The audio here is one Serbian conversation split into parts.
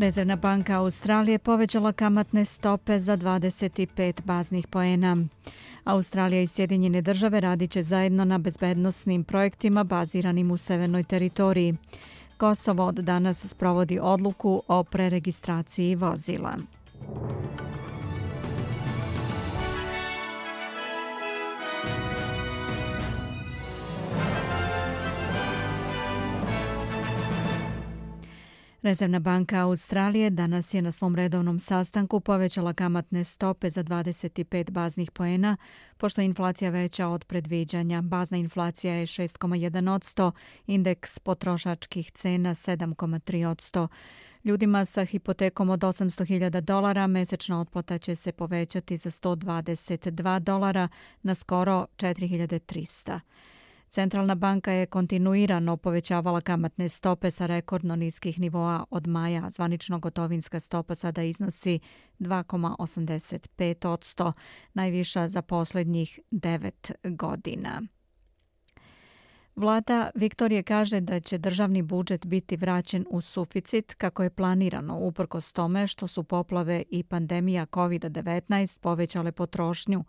Rezervna banka Australije povećala kamatne stope za 25 baznih poena. Australija i Sjedinjene države radit će zajedno na bezbednosnim projektima baziranim u severnoj teritoriji. Kosovo od danas sprovodi odluku o preregistraciji vozila. Rezervna banka Australije danas je na svom redovnom sastanku povećala kamatne stope za 25 baznih poena, pošto je inflacija veća od predviđanja. Bazna inflacija je 6,1%, indeks potrošačkih cena 7,3%. Ljudima sa hipotekom od $800.000 mesečna otplata će se povećati za $122 na skoro $4.300. Centralna banka je kontinuirano povećavala kamatne stope sa rekordno niskih nivoa od maja. Zvanično gotovinska stopa sada iznosi 2,85%, najviša za posljednjih 9 godina. Vlada Viktorije kaže da će državni budžet biti vraćen u suficit kako je planirano, uprkos tome što su poplave i pandemija COVID-19 povećale potrošnju.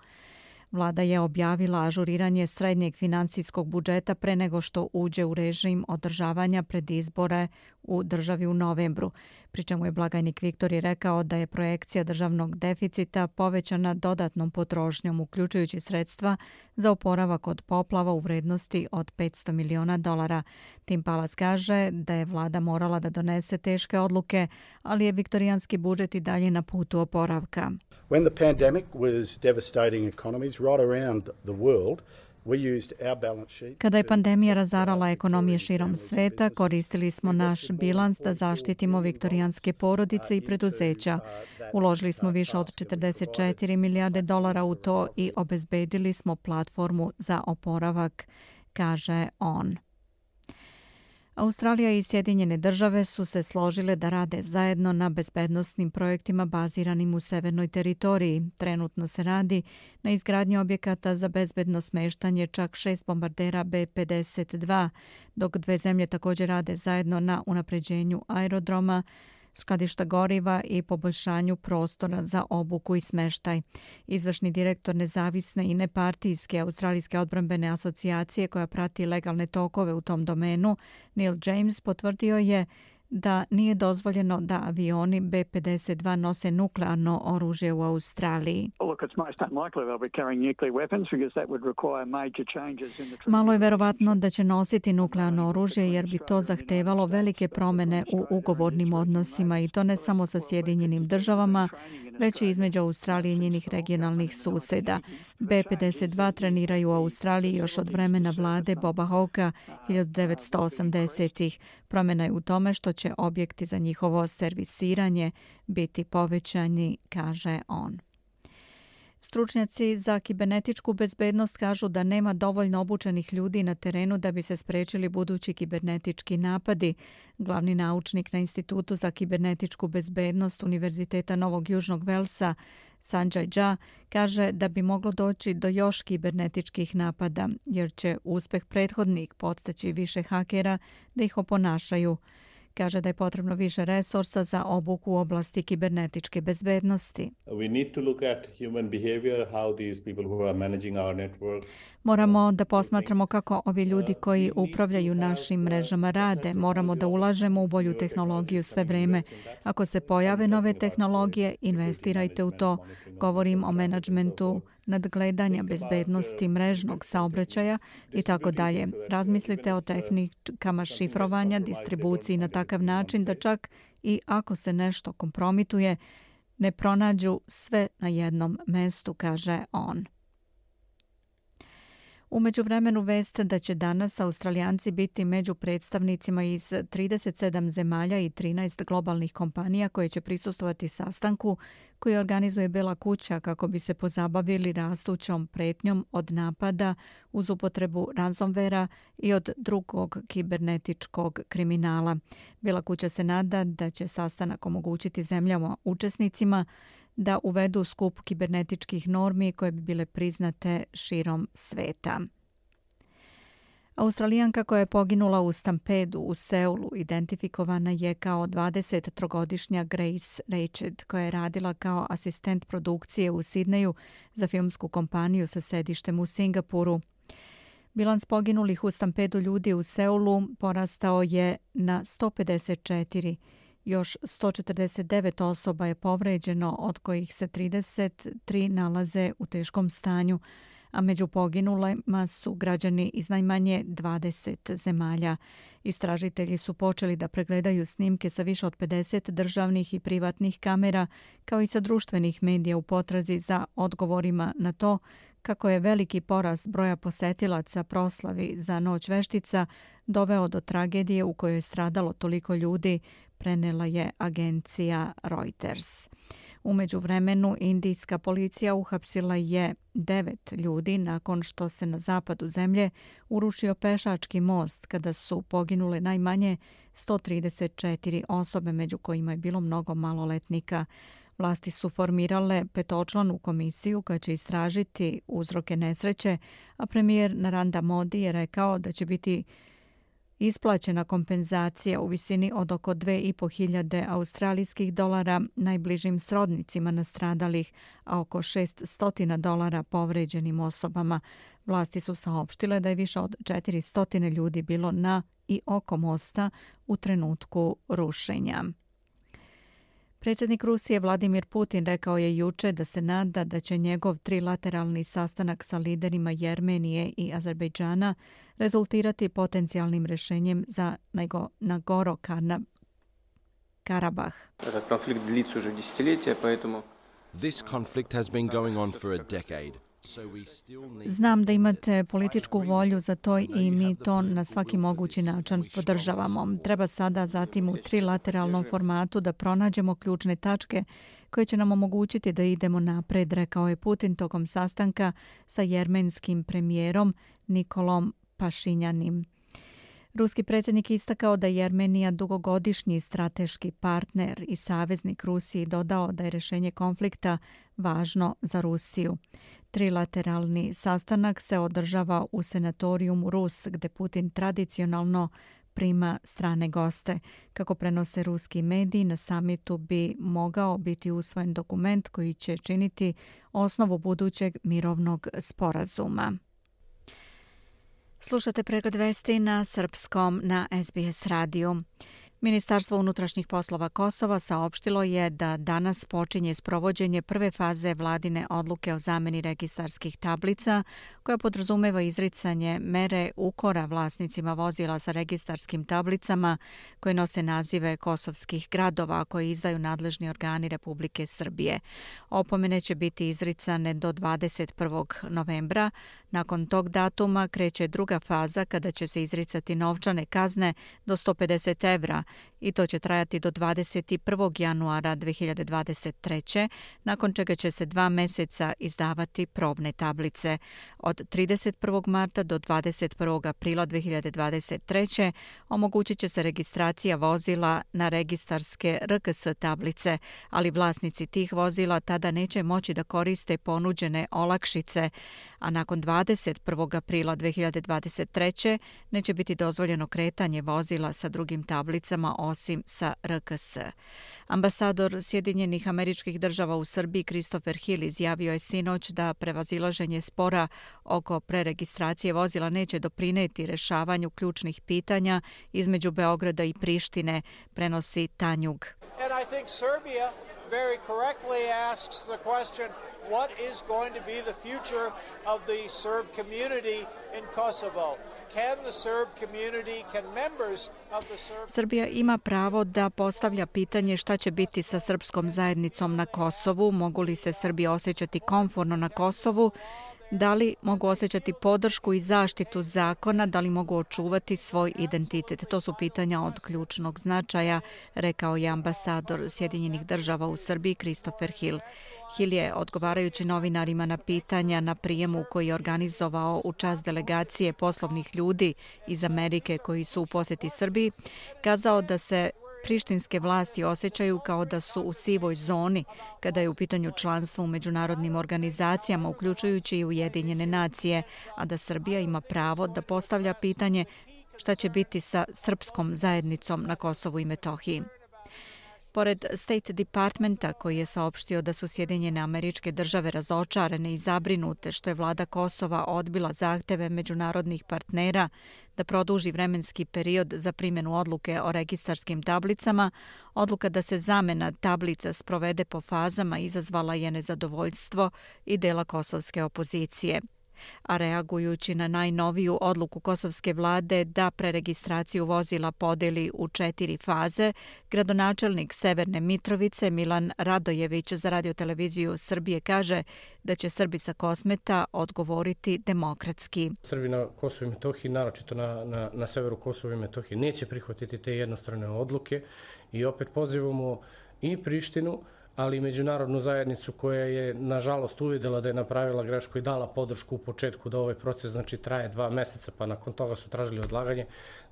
Vlada je objavila ažuriranje srednjeg finansijskog budžeta pre nego što uđe u režim održavanja pred izbore u državi u novembru, pri čemu je blagajnik Viktorije rekao da je projekcija državnog deficita povećana dodatnom potrošnjom, uključujući sredstva za oporavak od poplava u vrednosti od $500 miliona. Tim Pallas kaže da je vlada morala da donese teške odluke, ali je viktorijanski budžet i dalje na putu oporavka. When the pandemic was devastating economies right around the world, Kada je pandemija razarala ekonomije širom sveta, koristili smo naš bilans da zaštitimo viktorijanske porodice i preduzeća. Uložili smo više od $44 milijarde u to i obezbedili smo platformu za oporavak, kaže on. Australija i Sjedinjene države su se složile da rade zajedno na bezbednosnim projektima baziranim u severnoj teritoriji. Trenutno se radi na izgradnji objekata za bezbedno smeštanje čak 6 bombardera B-52, dok dve zemlje također rade zajedno na unapređenju aerodroma, skladišta goriva i poboljšanju prostora za obuku i smeštaj. Izvršni direktor nezavisne i nepartijske Australijske odbrambene asocijacije koja prati legalne tokove u tom domenu, Neil James, potvrdio je da nije dozvoljeno da avioni B-52 nose nuklearno oružje u Australiji. Malo je verovatno da će nositi nuklearno oružje jer bi to zahtevalo velike promjene u ugovornim odnosima i to ne samo sa Sjedinjenim državama, već i između Australije i njenih regionalnih suseda. B-52 treniraju u Australiji još od vremena vlade Boba Hawkea 1980-ih. Promjena je u tome što će objekti za njihovo servisiranje biti povećani, kaže on. Stručnjaci za kibernetičku bezbednost kažu da nema dovoljno obučenih ljudi na terenu da bi se sprečili budući kibernetički napadi. Glavni naučnik na Institutu za kibernetičku bezbednost Univerziteta Novog Južnog Velsa, Sanjay Jha, kaže da bi moglo doći do još kibernetičkih napada, jer će uspeh prethodnih podstaći više hakera da ih oponašaju. Kaže da je potrebno više resursa za obuku u oblasti kibernetičke bezbednosti. Moramo da posmatramo kako ovi ljudi koji upravljaju našim mrežama rade. Moramo da ulažemo u bolju tehnologiju sve vreme. Ako se pojave nove tehnologije, investirajte u to. Govorim o menadžmentu nadgledanja bezbednosti mrežnog saobraćaja i tako dalje. Razmislite o tehnikama šifrovanja, distribuciji na takav način da čak i ako se nešto kompromituje, ne pronađu sve na jednom mestu, kaže on. U međuvremenu vest da će danas Australijanci biti među predstavnicima iz 37 zemalja i 13 globalnih kompanija koje će prisustvovati sastanku koji organizuje Bela kuća kako bi se pozabavili rastućom pretnjom od napada uz upotrebu ransomwarea i od drugog kibernetičkog kriminala. Bela kuća se nada da će sastanak omogućiti zemljama učesnicima da uvedu skup kibernetičkih normi koje bi bile priznate širom sveta. Australijanka koja je poginula u stampedu u Seulu identifikovana je kao 23-godišnja Grace Rached, koja je radila kao asistent produkcije u Sidneju za filmsku kompaniju sa sedištem u Singapuru. Bilans poginulih u stampedu ljudi u Seulu porastao je na 154. Još 149 osoba je povređeno, od kojih se 33 nalaze u teškom stanju, a među poginulima su građani iz najmanje 20 zemalja. Istražitelji su počeli da pregledaju snimke sa više od 50 državnih i privatnih kamera, kao i sa društvenih medija u potrazi za odgovorima na to kako je veliki porast broja posetilaca proslavi za Noć veštica doveo do tragedije u kojoj je stradalo toliko ljudi, prenela je agencija Reuters. U međuvremenu, indijska policija uhapsila je 9 ljudi nakon što se na zapadu zemlje urušio pešački most kada su poginule najmanje 134 osobe, među kojima je bilo mnogo maloletnika. Vlasti su formirale 5-članu komisiju koja će istražiti uzroke nesreće, a premijer Narendra Modi je rekao da će biti isplaćena kompenzacija u visini od oko 2.500 australijskih dolara najbližim srodnicima nastradalih, a oko $600 povređenim osobama. Vlasti su saopštile da je više od 400 ljudi bilo na i oko mosta u trenutku rušenja. Predsjednik Rusije Vladimir Putin rekao je juče da se nada da će njegov trilateralni sastanak sa liderima Jermenije i Azerbejdžana rezultirati potencijalnim rješenjem za Nagorno-Karabah. This conflict has been going on for a decade. Znam da imate političku volju za to i mi to na svaki mogući način podržavamo. Treba sada zatim u trilateralnom formatu da pronađemo ključne tačke koje će nam omogućiti da idemo napred, rekao je Putin tokom sastanka sa jermenskim premijerom Nikolom Pašinjanim. Ruski predsjednik istakao da je Jermenija dugogodišnji strateški partner i saveznik Rusiji, dodao da je rješenje konflikta važno za Rusiju. Trilateralni sastanak se održava u senatorijumu Rus, gde Putin tradicionalno prima strane goste. Kako prenose ruski mediji, na samitu bi mogao biti usvojen dokument koji će činiti osnovu budućeg mirovnog sporazuma. Slušate pregled vesti na srpskom na SBS radiju. Ministarstvo unutrašnjih poslova Kosova saopštilo je da danas počinje sprovođenje prve faze vladine odluke o zameni registarskih tablica, koja podrazumeva izricanje mere ukora vlasnicima vozila sa registarskim tablicama koje nose nazive kosovskih gradova koje izdaju nadležni organi Republike Srbije. Opomene će biti izricane do 21. novembra. Nakon tog datuma kreće druga faza kada će se izricati novčane kazne do 150 evra i to će trajati do 21. januara 2023. nakon čega će se 2 meseca izdavati probne tablice. Od 31. marta do 21. aprila 2023. omogućit će se registracija vozila na registarske RKS tablice, ali vlasnici tih vozila tada neće moći da koriste ponuđene olakšice, a nakon 21. aprila 2023. neće biti dozvoljeno kretanje vozila sa drugim tablicama osim sa RKS. Ambasador Sjedinjenih Američkih Država u Srbiji Christopher Hill izjavio je sinoć da prevazilaženje spora oko preregistracije vozila neće doprineti rešavanju ključnih pitanja između Beograda i Prištine, prenosi Tanjug. Very correctly asks the question, what is going to be the future of the Serb community in Kosovo? Can the Serb community, can members of the Serb... Srbija ima pravo da postavlja pitanje šta će biti sa srpskom zajednicom na Kosovu, mogu li se Srbi osjećati komforno na Kosovu, da li mogu osjećati podršku i zaštitu zakona, da li mogu očuvati svoj identitet. To su pitanja od ključnog značaja, rekao je ambasador Sjedinjenih Država u Srbiji Christopher Hill. Hill je, odgovarajući novinarima na pitanja na prijemu koji je organizovao u čast delegacije poslovnih ljudi iz Amerike koji su u posjeti Srbiji, kazao da se prištinske vlasti osjećaju kao da su u sivoj zoni kada je u pitanju članstvo u međunarodnim organizacijama, uključujući i Ujedinjene nacije, a da Srbija ima pravo da postavlja pitanje šta će biti sa srpskom zajednicom na Kosovu i Metohiji. Pored State Departmenta, koji je saopštio da su Sjedinjene Američke Države razočarane i zabrinute što je vlada Kosova odbila zahteve međunarodnih partnera da produži vremenski period za primjenu odluke o registarskim tablicama, odluka da se zamena tablica sprovede po fazama izazvala je nezadovoljstvo i dela kosovske opozicije. A reagujući na najnoviju odluku kosovske vlade da preregistraciju vozila podeli u 4 faze, gradonačelnik Severne Mitrovice Milan Radojević za radioteleviziju Srbije kaže da će Srbi sa Kosmeta odgovoriti demokratski. Srbi na Kosovu i Metohiji, naročito na severu Kosova i Metohije, neće prihvatiti te jednostrane odluke i opet pozivamo i Prištinu, ali i međunarodnu zajednicu koja je, nažalost, uvidela da je napravila grešku i dala podršku u početku da ovaj proces traje 2 meseca, pa nakon toga su tražili odlaganje,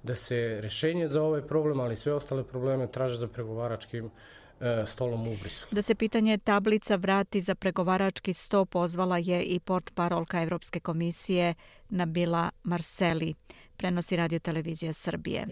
da se rešenje za ovaj problem, ali i sve ostale probleme traže za pregovaračkim stolom u Briselu. Da se pitanje tablica vrati za pregovarački sto pozvala je i portparolka Evropske komisije Nabila Marseli, prenosi radiotelevizija Srbije.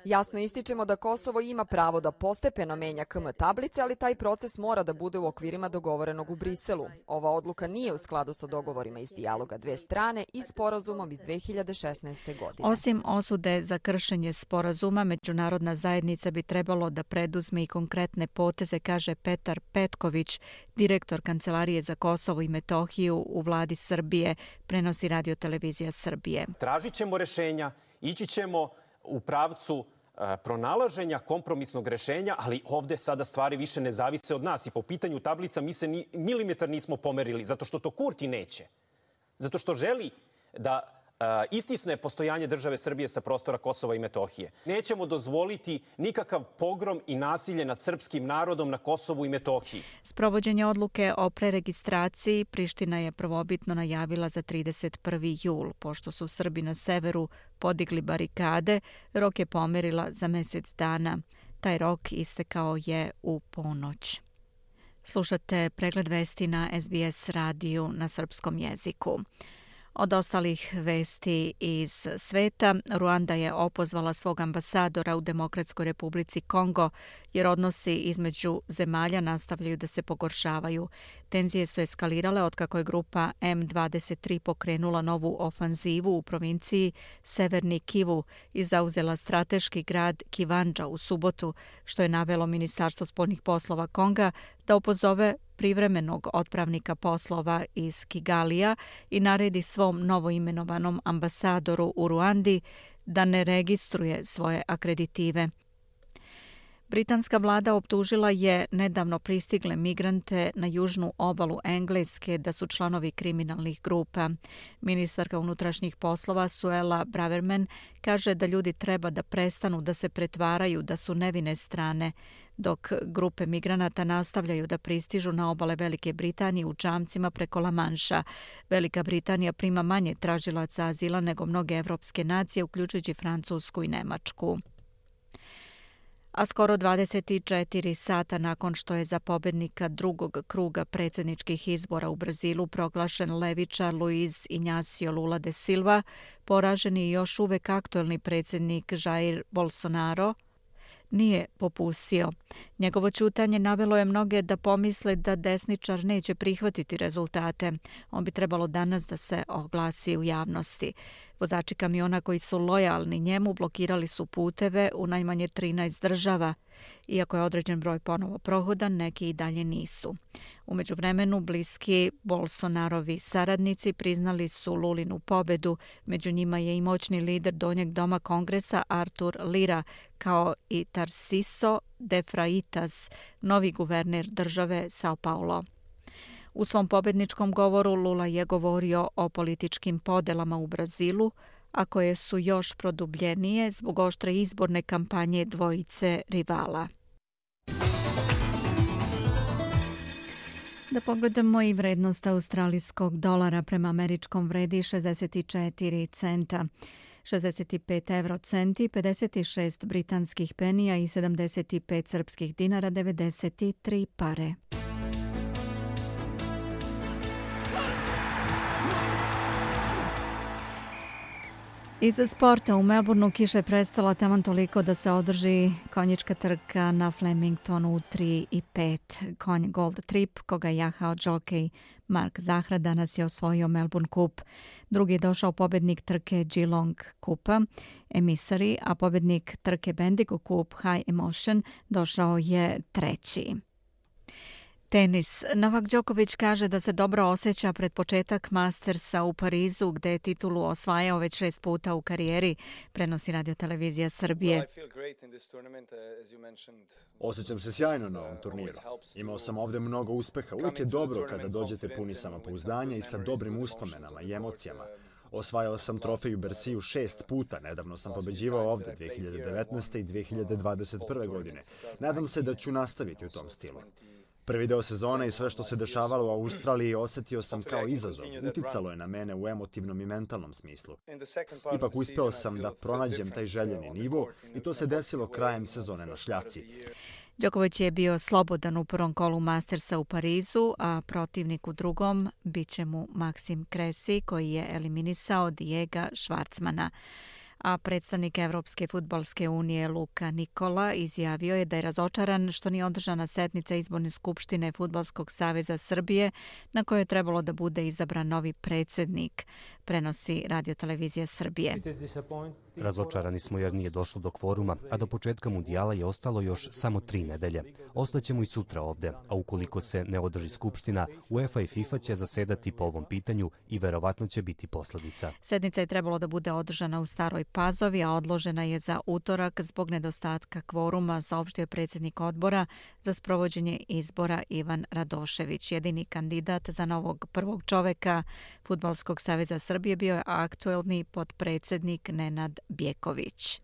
Jasno ističemo da Kosovo ima pravo da postepeno menja KM tablice, ali taj proces mora da bude u okvirima dogovorenog u Briselu. Ova odluka nije u skladu sa dogovorima iz dijaloga dve strane i sporazumom iz 2016. godine. Osim osude za kršenje sporazuma, međunarodna zajednica bi trebalo da preduzme i konkretne poteze, kaže Petar Petković, direktor Kancelarije za Kosovo i Metohiju u vladi Srbije, prenosi radiotelevizija Srbije. Tražit ćemo rešenja, ići ćemo u pravcu pronalaženja kompromisnog rešenja, ali ovde sada stvari više ne zavise od nas i po pitanju tablica mi se ni milimetar nismo pomerili, zato što to Kurti neće. Zato što želi da istisne postojanje države Srbije sa prostora Kosova i Metohije. Nećemo dozvoliti nikakav pogrom i nasilje nad srpskim narodom na Kosovu i Metohiji. Sprovođenje odluke o preregistraciji Priština je prvobitno najavila za 31. jul. Pošto su Srbi na severu podigli barikade, rok je pomerila za mesec dana. Taj rok istekao je u ponoć. Slušate pregled vesti na SBS radiju na srpskom jeziku. Od ostalih vesti iz sveta, Ruanda je opozvala svog ambasadora u Demokratskoj republici Kongo, jer odnosi između zemalja nastavljaju da se pogoršavaju. Tenzije su eskalirale otkako je grupa M23 pokrenula novu ofanzivu u provinciji Severni Kivu i zauzela strateški grad Kivandža u subotu, što je navelo Ministarstvo spoljnih poslova Konga da opozove privremenog otpravnika poslova iz Kigalija i naredi svom novoimenovanom ambasadoru u Ruandi da ne registruje svoje akreditive. Britanska vlada optužila je nedavno pristigle migrante na južnu obalu Engleske da su članovi kriminalnih grupa. Ministarka unutrašnjih poslova Suella Braverman kaže da ljudi treba da prestanu da se pretvaraju da su nevine strane, dok grupe migranata nastavljaju da pristižu na obale Velike Britanije u čamcima preko La Manša. Velika Britanija prima manje tražilaca azila nego mnoge evropske nacije, uključujući Francusku i Nemačku. A skoro 24 sata nakon što je za pobednika drugog kruga predsjedničkih izbora u Brazilu proglašen levičar Luiz Inácio Lula da Silva, poraženi i još uvek aktuelni predsjednik Jair Bolsonaro nije popustio. Njegovo ćutanje navelo je mnoge da pomisle da desničar neće prihvatiti rezultate. On bi trebalo danas da se oglasi u javnosti. Vozači kamiona koji su lojalni njemu blokirali su puteve u najmanje 13 država. Iako je određen broj ponovo prohodan, neki i dalje nisu. U međuvremenu, bliski Bolsonarovi saradnici priznali su Lulinu pobedu. Među njima je i moćni lider Donjeg doma Kongresa Artur Lira, kao i Tarciso de Freitas, novi guverner države Sao Paulo. U svom pobedničkom govoru Lula je govorio o političkim podelama u Brazilu, a koje su još produbljenije zbog oštre izborne kampanje dvojice rivala. Da pogledamo i vrednost australijskog dolara prema američkom vredi 64 centa. 65 eurocenti, 56 britanskih penija i 75 srpskih dinara 93 pare. Iz sporta u Melbourneu kiša je prestala taman toliko da se održi konjička trka na Flemingtonu 3 i 5. Konj Gold Trip, koga je jahao džokej Mark Zahra, danas je osvojio Melbourne Cup. Drugi je došao pobednik trke Geelong Kupa, Emissary, a pobednik trke Bendigo Cup High Emotion došao je treći. Tenis. Novak Đoković kaže da se dobro osjeća pred početak Mastersa u Parizu, gde je titulu osvajao već 6 puta u karijeri, prenosi radiotelevizija Srbije. Osjećam se sjajno na ovom turniru. Imao sam ovde mnogo uspeha. Uvijek je dobro kada dođete puni samopouzdanja i sa dobrim uspomenama i emocijama. Osvajao sam trofej u Bersiju 6 puta. Nedavno sam pobeđivao ovde 2019. i 2021. godine. Nadam se da ću nastaviti u tom stilu. Prvi deo sezone i sve što se dešavalo u Australiji osjetio sam kao izazov. Uticalo je na mene u emotivnom i mentalnom smislu. Ipak uspeo sam da pronađem taj željeni nivo i to se desilo krajem sezone na šljaci. Đoković je bio slobodan u prvom kolu Mastersa u Parizu, a protivnik u drugom biće mu Maksim Kresi, koji je eliminisao Dijega Švarcmana. A predstavnik Evropske fudbalske unije Luka Nikola izjavio je da je razočaran što nije održana sednica izborne skupštine Fudbalskog saveza Srbije na kojoj je trebalo da bude izabran novi predsjednik, prenosi radiotelevizija Srbije. Razočarani smo jer nije došlo do kvoruma, a do početka mundijala je ostalo još samo 3 nedelje. Ostaćemo i sutra ovde, a ukoliko se ne održi skupština, UEFA i FIFA će zasedati po ovom pitanju i verovatno će biti posledica. Sednica je trebalo da bude održana u Staroj Pazovi, a odložena je za utorak zbog nedostatka kvoruma, saopštio je predsjednik odbora za sprovođenje izbora Ivan Radošević. Jedini kandidat za novog prvog čoveka Fudbalskog saveza Srbije bio je aktuelni potpredsjednik Nenad Bjeković.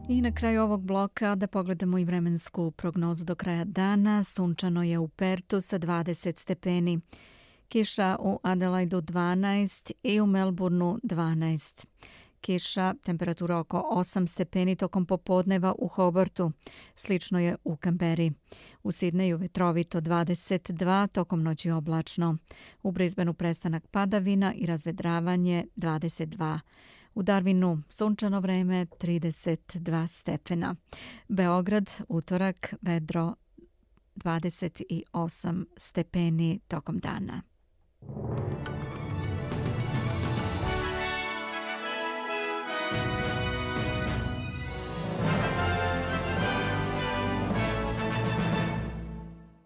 I na kraju ovog bloka da pogledamo i vremensku prognozu do kraja dana. Sunčano je u Pertu sa 20 stepeni. Kiša u Adelaidu 12 i u Melbourneu 12. Kiša, temperatura oko 8 stepeni tokom popodneva u Hobartu. Slično je u Kamberi. U Sidneju vetrovito 22, tokom noći oblačno. U Brisbaneu prestanak padavina i razvedravanje 22. U Darwinu sunčano vreme 32 stepena. Beograd, utorak, vedro 28 stepeni tokom dana.